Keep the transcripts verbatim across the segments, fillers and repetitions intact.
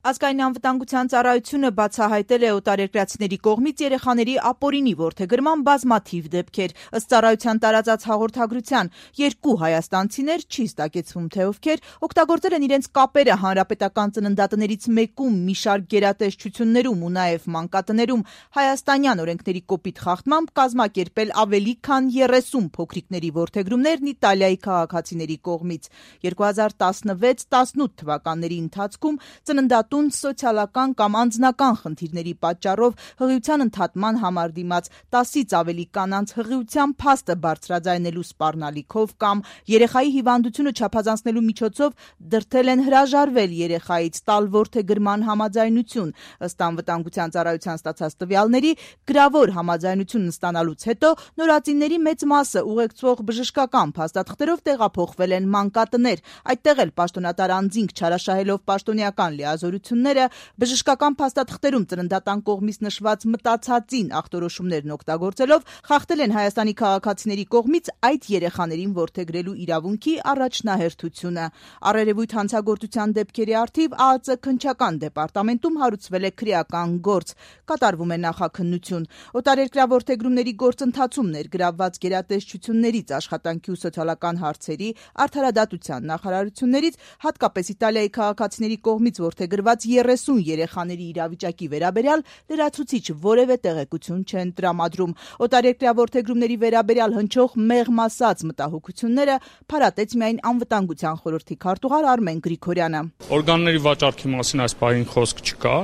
Ազգային անվտանգության ծառայությունը բացահայտել է օտարերկրացիների կողմից երեխաների ապօրինի որդեգրման բազմաթիվ դեպքեր։ Ըստ ծառայության տարածած հաղորդագրության, երկու հայաստանցիներ, չի ստակեցվում թե ովքեր, օգտագործել են իրենց կապերը հանրապետական ծննդատներից մեկում մի շարք գերատեսչություններում ու նաև մանկատներում հայաստանյան օրենքների կոպիտ խախտմամբ կազմակերպել ավելի քան երեսուն փոքրիկների որդեգրումներն Իտալիայի քաղաքացիների կողմից։ երկու հազար տասնվեց տասնութ թվականների ընթացքում ծննդատու սոցիալական կամ անձնական խնդիրների պատճառով հղիության ընդհատման համար դիմաց տասից ավելի կանանց հղիության փաստը բարձրաձայնելու սպառնալիքով կամ երեխայի հիվանդությունը չափազանցնելու միջոցով դրդել են հրաժարվել երեխայից տալ որդեգրման համաձայնություն։ Ըստ անվտանգության ծառայության ստացած տվյալների, գրավոր համաձայնություն ստանալուց հետո նորածինների մեծ մասը ուղեկցող բժշկական փաստաթղթերով տեղափոխվել են մանկատներ։ Այդտեղ էլ պաշտոնատար անձինք չարաշահելով պաշտոնեական լիազորությունները բժշկական փաստաթղթերում ծննդատան կողմից նշված մտածածին ախտորոշումներն օգտագործելով խախտել են Հայաստանի քաղաքացիների կողմից այդ երեխաներին որդեգրելու իրավունքի առաջնահերթությունը։ Առերևույթ հանցագործության դեպքերի առթիվ ԱԱԾ քննչական դեպարտամենտում հարուցվել է քրեական գործ, կատարվում է նախաքննություն։ Օտարերկրյա որդեգրումների գործընթացում ներգրավված գերատեսչություններից, աշխատանքի ու սոցիալական հարցերի, արդարադատության նախարարություններից, հատկապես Իտալիայի քաղաքացիների կողմից որդեգրված երեսուն երեխաների իրավիճակի վերաբերյալ լրացուցիչ որևէ տեղեկություն չեն տրամադրում։ Օտարերկրյա որդեգրումների վերաբերյալ հնչող մեղմ ասած մտահոգությունները փարատեց միայն անվտանգության խորհրդի քարտուղար Արմեն Գրիգորյանը։ Օրգանների վաճառքի մասին այս պահին խոսք չկա,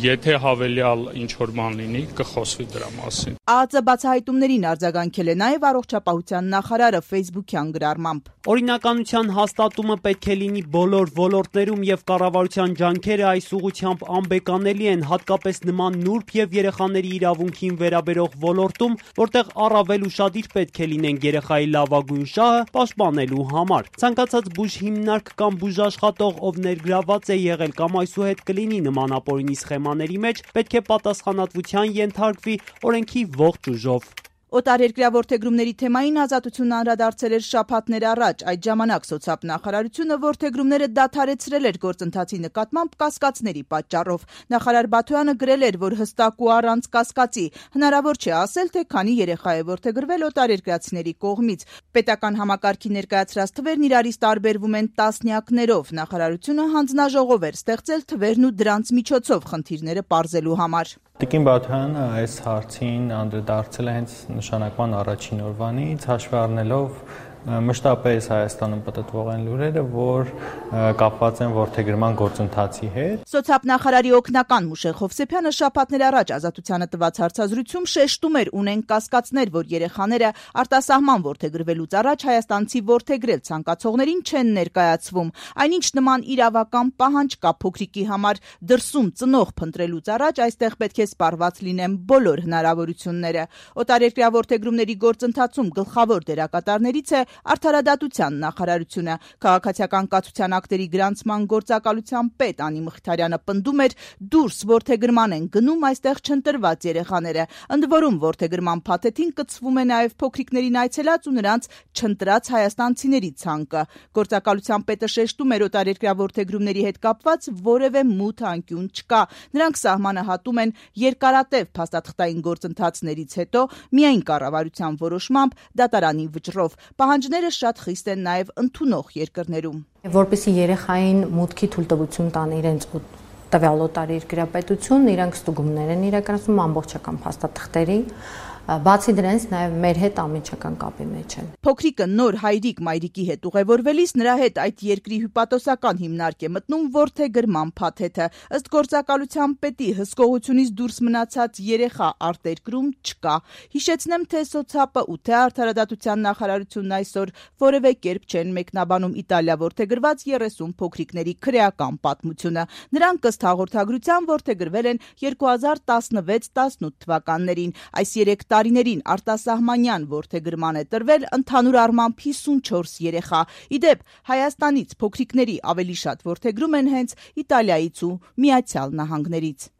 եթե հավելյալ ինչ-որ բան լինի, կխոսվի դրա մասին։ ԱԱԾ բացահայտումներին արձագանքել է նաև առողջապահության նախարարը ֆեյսբուքյան գրառմամբ։ Օրինականության հաստատումը պետք է լինի բոլոր ոլորտներում եւ կառավարության ջանքերը այս ուղղությամբ անբեկանելի են, հատկապես նման նուրբ եւ երեխաների իրավունքին վերաբերող ոլորտում, որտեղ առավել ուշադիր պետք է լինենք երեխայի լավագույն շահը պաշտպանելու համար։ Ցանկացած բուժհիմնարկ կամ բուժաշխատող, ով ներգրաված է եղել կամ այսուհետ կլինի նման ապօրինի սխեմաների մեջ, պետք է պատասխանատվության ենթարկվի օրենքի ողջ ուժով։ Օտարերկրյա որդեգրումների թեմային Ազատությունն անդրադարձել էր շաբաթներ առաջ։ Այդ ժամանակ սոցիալ նախարարությունը որդեգրումները դադարեցրել էր գործընթացի նկատմամբ կասկածների պատճառով։ Նախարար Բաթոյանը գրել էր, որ հստակ ու առանց կասկածի հնարավոր չէ ասել, թե քանի երեխա է որդեգրվել օտարերկրացիների կողմից։ Պետական համակարգի ներկայացրած թվերն իրարից տարբերվում են տասնյակներով։ Նախարարությունը հանձնաժողով էր ստեղծել թվերն ու դրանց միջոցով խնդիրները պարզելու համար։ Տիկին Բաթոյանը այս հարցին անդրադարձել է հենց նշանակման առաջին օրվանից, հաշվի առնելով մշտապես Հայաստանում պտտվող են լուրերը, որ կապված են որդեգրման գործընթացի հետ։ Սոցիալ նախարարի օգնական Մուշեղ Հովսեփյանը շաբաթներ առաջ Ազատությանը տված հարցազրույցում շեշտում էր, ունեն կասկածներ, որ երեխաները արտասահման որդեգրվելուց առաջ հայաստանցի որդեգրել ցանկացողներին չեն ներկայացվում։ Այնինչ նման իրավական պահանջ կա փոքրիկի համար դրսում ծնող փնտրելուց առաջ, այստեղ պետք է սպառված լինեն բոլոր հնարավորությունները։ Օտարերկրյա որդեգրումների գործընթացում գլխավոր դերակատարներից է Արդարադատության նախարարությունը։ Քաղաքացիական կացության ակտերի գրանցման գործակալության պետ Անի Մխիթարյանը պնդում էր, դուրս որդեգրման են գնում այստեղ չընտրված երեխաները։ Ընդ որում որդեգրման փաթեթին կցվում է նաև փոքրիկներին այցելած ու նրանց չընտրած հայաստանցիների ցանկը։ Գործակալության պետը շեշտում էր, օտարերկրյա որդեգրումների հետ կապված որևէ մութ անկյուն չկա։ Նրանք սահմանը հատում են երկարատև փաստաթղթային գործընթացներից հետո միայն կառավարության որոշմամբ դատարանի վճռով։ Պահանջները շատ խիստ են նաև ընդունող երկրներում։ Որպեսզի երեխային մուտքի թույլտվություն տան իրենց տվյալ օտարերկրյա պետություն, իրանք ստուգումներ են իրականացնում ամբողջական փաստաթղթերի, բացի դրանից նաև մեր հետ անմիջական կապի մեջ են։ Փոքրիկը նոր հայրիկ-մայրիկի հետ ուղևորվելիս նրա հետ այդ երկրի հյուպատոսական հիմնարկ է մտնում որդեգրման փաթեթը։ Ըստ գործակալության պետի հսկողությունից դուրս մնացած երեխա արտերկրում չկա։ Հիշեցնեմ, թե սոցիալը ու թե Արդարադատության նախարարությունն այսօր որևէ կերպ չեն մեկնաբանում Իտալիա որդեգրված երեսուն փոքրիկների քրեական պատմությունը։ Նրանք ըստ հաղորդագրության որդեգրվել են երկու հազար տասնվեց տասնութ թվականներին։ Այս երեք տարիներին արտասահմանյան որդեգրման է տրվել ընդհանուր առմամբ հիսունչորս երեխա։ Իդեպ Հայաստանից փոքրիկների ավելի շատ որդեգրում են հենց Իտալիայից ու Միացյալ Նահանգներից։